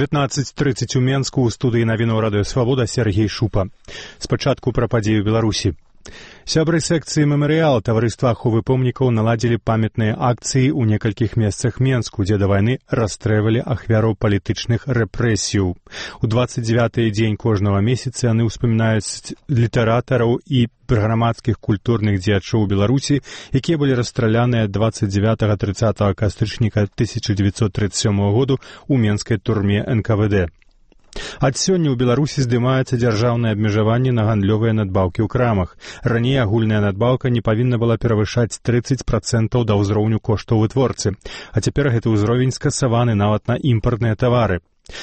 19:30 у Менску ў студыі навінаў радыё Свабода Сергей Шупа. Спачатку пра падзею Беларусі. Сябры секцыі мемарыяла таварыства аховы помнікаў наладзілі памятныя акцыі ў некалькіх месцах Менску, дзе да вайны расстрэльвалі ахвяраў палітычных рэпрэсіяў. У 29-й дзень кожнага месяца яны ўспамінаюць літаратараў і грамадскіх культурных дзеячоў Беларусі, якія былі расстраляныя 29-30 кастрычніка 1937 году ў менскай турме НКВД. Ад сёння ў Беларусі здымаецца дзяржаўнае абмежаванне на гандлёвыя надбаўкі ў крамах. Раней агульная надбаўка не павінна была перавышаць 30% да ўзроўню коштаў вытворцы, а цяпер гэты ўзровень скасаваны нават на імпартныя тавары.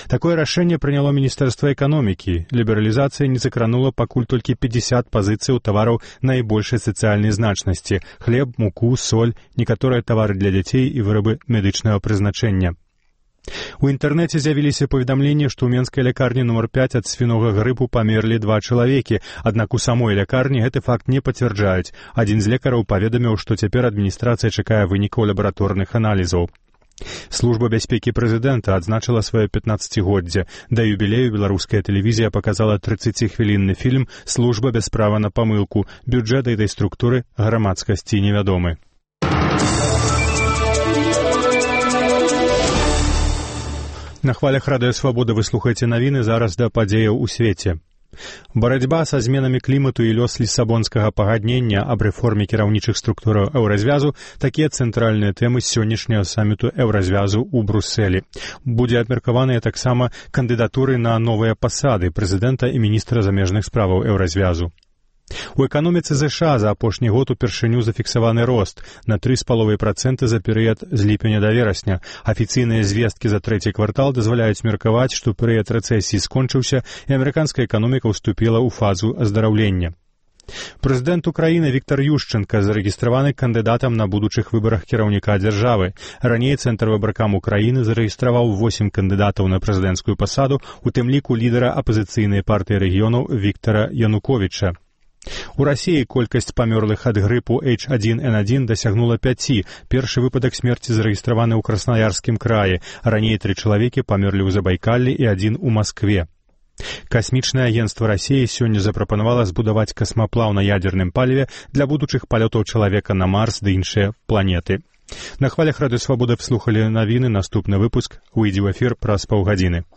Такое рашэнне прыняло Міністэрства эканомікі. Лібералізацыя не закранула пакуль толькі 50 пазіцыяў тавараў найбольшай сацыяльнай значнасці – хлеб, муку, соль, некаторыя тавары для дзяцей і вырабы медычнага прызначэння. У інтэрнэце з'явіліся паведамленні, што ў менскай лякарні нумар 5 ад свінога грыпу памерлі 2 чалавекі, аднак у самой лякарні гэты факт не пацвярджаюць. Адзін з лекараў паведаміў, што цяпер адміністрацыя чакае вынікаў лабараторных аналізаў. Служба бяспекі прэзідэнта адзначыла сваё 15-годдзе. Да юбілею беларуская тэлевізія паказала 30-хвілінны фільм «Служба без права на памылку». Бюджэт гэтай структуры грамадскасці невядомы. На хвалях радыё Свабода вы слухаеце навіны, зараз да падзеяў у свеце. Барацьба са зменамі клімату і лёс лісабонскага пагаднення аб рэформе кіраўнічых структураў еўразвязу – такія цэнтральныя тэмы сённяшняга саміту еўразвязу ў Брусэлі. Будзе абмеркаваныя таксама кандыдатуры на новыя пасады прэзідэнта і міністра замежных справаў еўразвязу. У эканоміцы ЗША за апошні год упершыню зафіксаваны рост на 3,5% за перыяд з ліпеня да верасня. Афіцыйныя звесткі за трэці квартал дазваляюць меркаваць, што перыяд рэцэсіі скончыўся і амерыканская эканоміка ўступіла ў фазу аздараўлення. Прэзідэнт Украіны Віктар Ющэнка зарэгістраваны кандыдатам на будучых выбарах кіраўніка дзяржавы. Раней Цэнтр выбаркам Украіны зарэгістраваў 8 кандыдатаў на прэзідэнцкую пасаду, у тым ліку лідара апазіцыйнай партыі рэгіёнаў Віктара Януковіча. У Расіі колькасць памёрлых ад грыпу H1N1 дасягнула 5. Першы выпадак смерці зарэгістраваны ў Краснаярскім краі. Раней 3 чалавекі памерлі ў Забайкаллі і 1 у Маскве. Касмічнае агенцтва Расіі сёння запрапанавала збудаваць касмаплаў на ядзерным паліве для будучых палётаў чалавека на Марс ды іншыя планеты. На хвалях радыё Свабода слухалі навіны, наступны выпуск выйдзе ў эфір праз паўгадзіны.